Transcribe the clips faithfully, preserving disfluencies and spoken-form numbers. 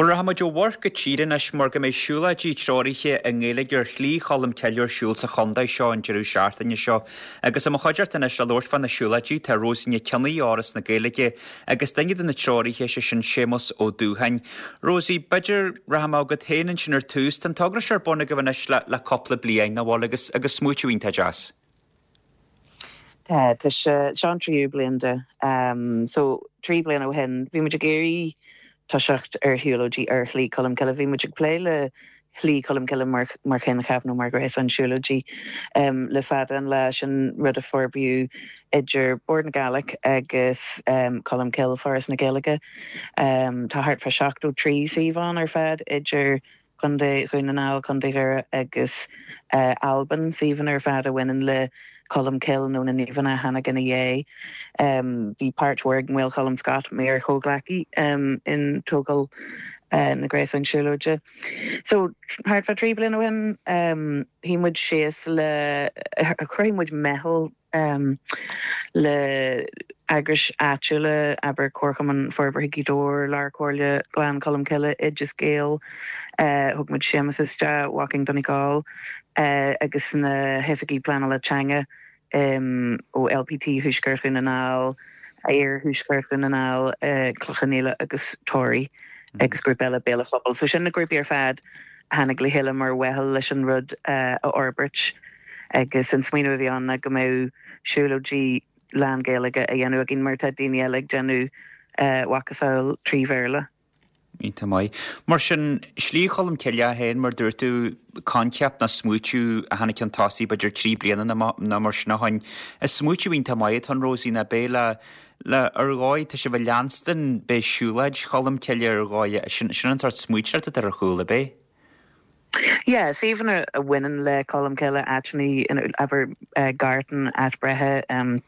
Bhuel, rachaidh muid ó mhuir go tír anois mar go mbeidh siúlóidí treoraithe i nGaeilge ar Shlí Cholm Cille ar siúl sa chontae seo an deireadh seachtaine seo. Agus i mo chuideachta anois le labhairt fá na siúlóidí tá Rosie Nic Cionnaith ó Fhoras na Gaeilge agus duine de na treoraithe, sé sin Séamus Ó Dúsháin. Rosie, b'fhéidir rachaidh mé chugat féin ansin ar tús. Tá an togra seo ar bun agaibh anois le, le cúpla bliain, nach bhfuil, agus, agus smaoitiú iontach deas. Tá tá sé seo an tríú bliain de. Um, so trí bliana ó shin bhí muid ag iarraidh toiseacht ar shiúlóidí ar Shlí Cholm Cille. Bhí muid ag plé le Slí Cholm Cille mar mar choincheap nó mar ghréasán siúlóidí um, le fada an lá sin rud a forbraíodh idir Bord na Gaeilge agus um, Colmcille Foras na Gaeilge. Um, tá thart fá seachtó trí suíomh ar fad idir Contae Dhún na nGall Contae Dhoire agus uh, Albain suíomhanna ar fad a bhaineann le Colmcille nó na naoimh a tháinig ina dhiaidh. Um, bhí páirt mhór ag Maolcholm Scott mar chomhghleacaí um, in tógáil uh, na gréasán siúlóide. So thart fá trí bliana ó shin um, shuigh muid síos le chruthaigh muid meitheal um, le eagrais áitiúla aber Comharchumann Forbartha Ghaoth Dobhair, Lár-Chomhairle Ghleann Cholm Cille Oideas Gael uh, thug muid Séamus isteach Walking Donegal uh, agus na hoifigigh pleanála teanga um, ó LPT Thuaisceart Dhún na nGall, Iarthuaisceart Dhún na nGall, uh, Cloich Cheann Fhaola agus Toraí agus grúpa eile Béal an Phobail. So sin na grúpaí ar fad tháinig le chéile mar mheitheal leis an rud uh, a fhorbairt agus an smaoineamh a bhí ann go mbeadh siúlóidí lán-Ghaeilge a dhéanamh againn mar tá daoine eile ag déanamh uh, macasamhail trí Bhéarla. Iontach maith. Mar sin Slí Cholm Cille féin mar dúirt tú coincheap nó smaoitiú a tháinig chun tosaigh b'fhéidir trí bliana nó mar sin ó shin. Is smaoitiú iontach maith atá ann Rosie ná bé le le ar dhóigh tá sibh ag leanstan bé siúlóid Cholm Cille ar dhóigh sin sin an sórt smaoitiú ar a chúla bé. Yeah, suíomhanna a bhaineann le Colm Cille áiteanna abair uh, Gartan áit breithe um,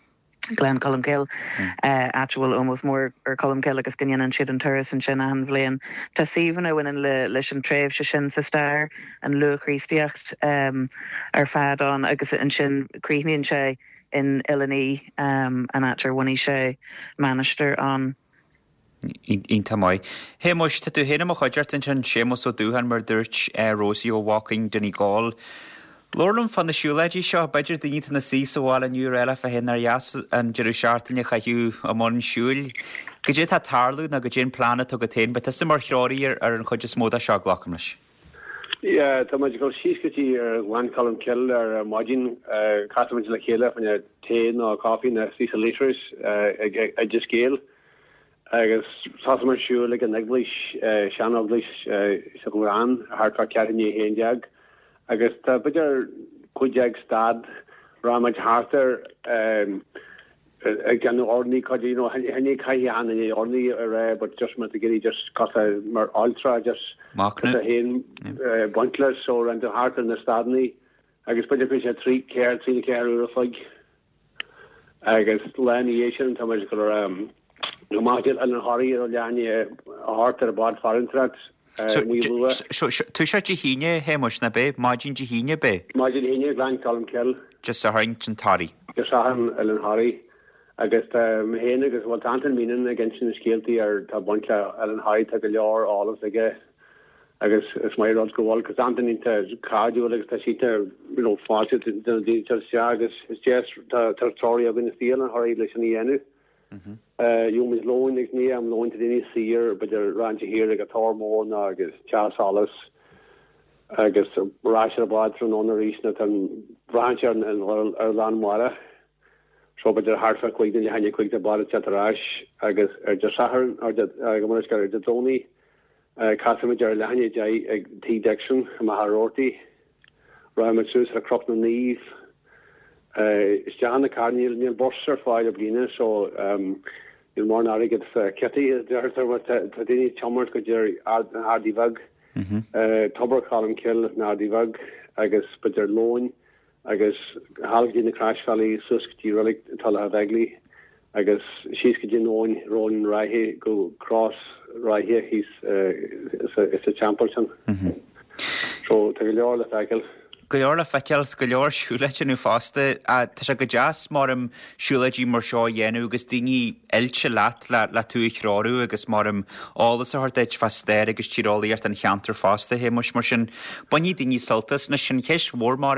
Gleann Cholm Cille mm. áit a bhfuil ómós mór ar Colmcille agus go ndéanann siad an turas ansin achan bhliain. Tá suíomhanna a bhaineann le leis an tréimhse sin sa stair an luath-Chríostaíocht um, ar fad ann agus ansin críochnaíonn sé in Oileán Í um, an áit ar bhunaigh sé mainistir ann. Iontach maith. Shéamuis tá tú féin i mo chuideachta ansin Séamus Ó Dúsháin mar dúirt eh, Rosie ó Walking Donegal. Labhair liom fá na siúlóidí seo b'fhéidir daoine atá ina suí sa bhaile inniu eile fá féin ar dheas an deireadh seachtaine a chaitheamh i mbun siúil. Cad é atá ag tarlú nó cad é an plean atá agat féin, beidh tusa mar threoraí ar ar an chuid is mó de seo glacaim leis. Yeah, tá muid ag dul síos go dtí ar Ghleann Cholm Cille ar maidin casfaimid le chéile fá tae nó caife nó píosa leitris ag Oideas Gael. agus tosóimid siúl ag an eaglais seaneaglais sa Ghleann thart fá ceathrú i ndiaidh a haon déag. agus tá b'fhéidir cúig déag stad rachaimid thart ar ag déanamh urnaí cuid you know chan caithfidh an urnaí a rá but just mar go just cosa mar altra just haon baint leis so ran thart ar na stadanna agus b'fhéidir go sé trí ceir trí ceathair uair an chloig agus lá ina dhiaidh sin tá muid go amach an Thoraí ar leath a hocht ar bád farantrát Tú se Dé hAoine Shéamuis ná bé maidin Dé hAoine bé? Maidin Dé hAoine Gleann Cholm Cille. Dé Sathairn an Toraí. Dé Sathairn an Thoraí agus mé féin agus bhfuil Antain Meenan ag insint na scéaltaí ar tá baint le an Thoraí tá go leor eolas aige agus is maith rud go bhfuil cos Antain iontach cairdiúil agus tá sé you know fáilte do na daoine se agus is deas tá treoraí againn is an Thoraí leis an dhéanamh. Gheobhaimid lón agus ní am lóin daoine saor b'fhéidir Rainse Thiar ag an Tor Mór ná agus teas solais agus ar ais ar an bhád tráthnóna arís na tá braitheann sé ar ar lán mara. So b'fhéidir thart fá cúig nó leath i ndiaidh a cúig tá bád ag teacht ar ais agus ar Dé Sathairn ar go mar ar Dé Domhnaigh casfaimid ar leath i ndiaidh a deich ag Tigh Dixon i Machaire Rabhartaigh. Rachaimid suas ar Chnoc na Naomh isteach na car níl níl bus ar fáil i mbliana so níl mórán airgead sa kitty deirtear tá daoine ag tiomáint go dtí an Ardaí Bheag Tobar Cholm Cille na Ardaí Bheag agus b'fhéidir lóin agus thall go dtí na Croisbhealaí suas go dtí reilig Tulach Bheiglaí agus síos go dtí an abhainn Róin Ráithe go Cros Ráithe thíos sa teampall sin. So tá go leor le feiceáil. Go leor le feiceáil 's go leor siúlóid a dhéanamh fosta. Tá sé go deas mar siúlóidí mar seo a dhéanamh agus daoine oilte leat le le tú a threorú agus mar eolas a thabhairt duit fá stair agus tíreolaíocht an cheantair fosta, a Shéamuis. Mar sin, bainfidh daoine sult as. Anois, an cheist mhór mar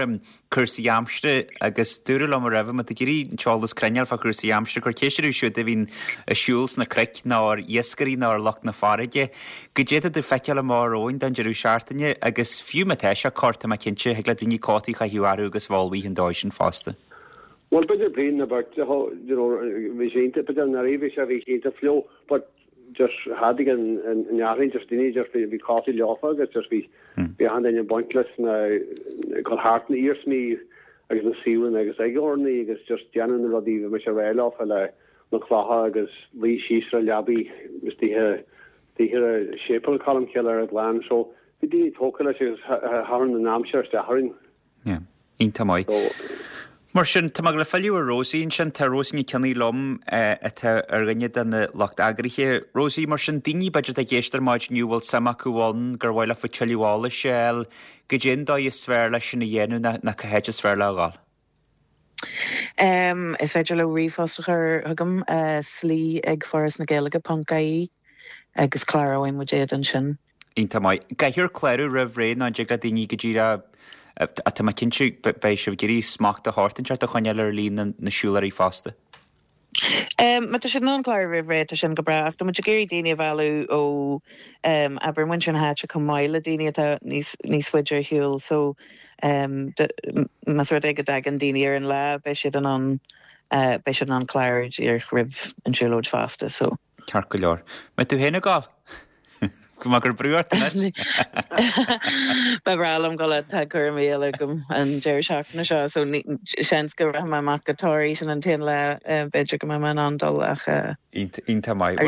cúrsaí aimsire agus dúradh liom roimhe, má tá tú ag iarraidh an t-eolas cruinn a fháil fá chúrsaí aimsire, cuir ceist orthu siúd a bhíonn ag siúl sna cnoic nó ar iascairí nó ar lucht na farraige, goidé atá tú ag feiceáil amach romhainn don deireadh seachtaine agus fiú má tá sé corr, tá mé cinnte, thig le daoine cótaí a chaitheamh orthu agus bheith ullmhaithe an dóigh sin fosta. Bhuel, b'fhéidir bliain nó beirt, you know, bhí sé iontach, b'fhéidir anuraidh bhí sé, bhí sé iontach fliuch, but just tháinig an an earraigh, just daoine just bhí bhí cótaí leofa agus just bhí bhí achan duine ag baint leis na gul thart na iarsmaí agus na suíomhanna agus ag urnaí agus just déanamh na rudaí bhí mise ag rá leofa le na clocha agus luí síos ar leabaí istigh istigh ar séipéal Cholmcille ar an ghleann so bhí daoine tógtha leis agus tharraing an aimsir isteach orainn. Yeah. Iontach maith. Mar sin, tá mé ag filleadh ar Rosie ansin, tá Rosie Nic Cionnaith liom atá ar dhuine de na lucht eagraithe. Rosie, mar sin, daoine b'fhéidir atá ag éisteacht ar maidin inniu bhfuil suim acu ann gur mhaith leofa tuilleadh eolais a fháil, goidé an dóigh is fearr leis sin a dhéanamh nó cá háit is fearr leo a ghabháil? Um, is féidir leo ríomhphost a chur chugam uh, slí ag foras na Gaeilge ponc ie agus cláróidh muid iad ansin. Iontach maith. Caithfear clárú roimh ré nó an dtig le daoine go díreach tá mé cinnte beidh sibh ag iarraidh smacht a thabhairt an a choinneáil ar líon na siúlóirí fosta. Um, má tá siad in ann clárú roimh ré tá sin go breá, ach tá muid ag iarraidh daoine a mhealladh ó um, abair muintir na háite chomh maith le daoine atá níos níos faide ar shiúl so um, más rud é go dtagann daoine ar an lá beidh siad in ann uh, beidh siad in ann clárú díreach roimh an siúlóid fosta so. Ceart go leor. Mbeidh tú féin ag gabháil? Go gur brú Ba bhreá liom go tá cúraimí eile agam an deireadh seachtaine seo so seans go rachaidh mé amach go Toraí sin an t-aon lá b'fhéidir go mbeidh mé in ann dul ach Iontach maith.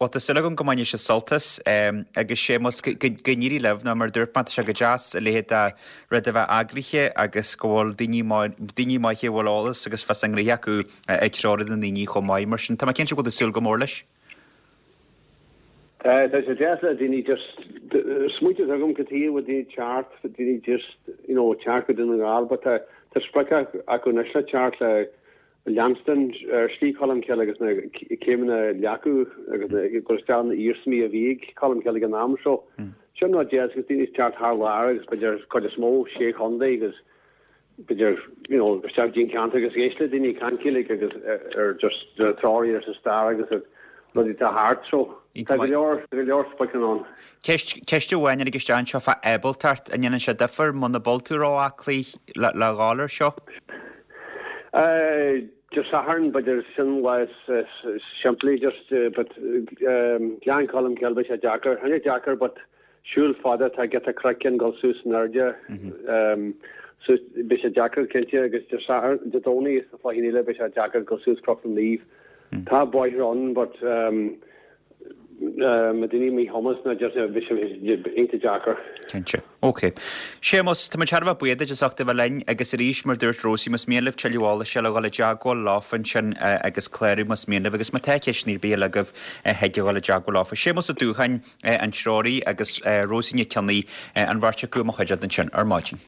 Well tá súil agam go mbainfidh sibh sult as agus Séamus go n-éirí libh ná mar dúirt mé tá sé go deas a leithéid de rud a bheith eagraithe agus go bhfuil daoine daoine maithe a bhfuil eolas agus fios a ngnó acu ag treorú na ndaoine chomh maith mar sin tá mé cinnte go bhfuil súil go mór leis. Tá sé deas le daoine just smaointe agam go tí bhfuil daoine teacht daoine just you know teacht go Dún na nGall, but tá tá sprioc acu anois le teacht le leanstan ar Shlí Cholmcille agus na céimeanna leacu agus go isteach na iarsmaí a bhí ag Colmcille ag an am seo. Sin rud deas agus daoine teacht thar lear agus b'fhéidir cuid is mó sé chontae agus b'fhéidir you know isteach dtí'n ceantar agus éist le daoine caint Gaeilge agus ar just treoirí ar sa stair agus rudaí atá thart so tá go leor go leor spriocanna ann. Ceist ceist amháin agus isteach anseo fá ábaltacht an ndéanann sé difear muna bhfuil tú ró-aclaí le le ghabháil air seo? Uh, just Satharn b'fhéidir sin lá is simplí just uh, but um, Gleann Cholm Cille beidh sé deacair Tháinig deacair but siúl fada tá giota craiceann gul suas in airde um, so beidh sé deacair cinnte agus de Satharn Dé Domhnaigh is na fáithín eile beidh sé deacair gul suas Cnoc na Naomh. Tá bóithre ann but um, um, daoine míchumas na just bheadh sé iontach deacair. Cinnte. Ok. Séamus, tá muid thar a bheith buíoch duit as ucht a bheith linn agus arís mar dúirt Rosie más mian libh tuilleadh eolais a dhul i dteagmháil leofa ansin agus clárú más mian libh agus má tá ceisteanna ar bith eile agaibh thig a dhul i dteagmháil leofa. Séamus Ó Dúcháin an treoraí agus Rosie Nic Cionnaith an bheirt acu i mo chuideachta ansin ar maidin.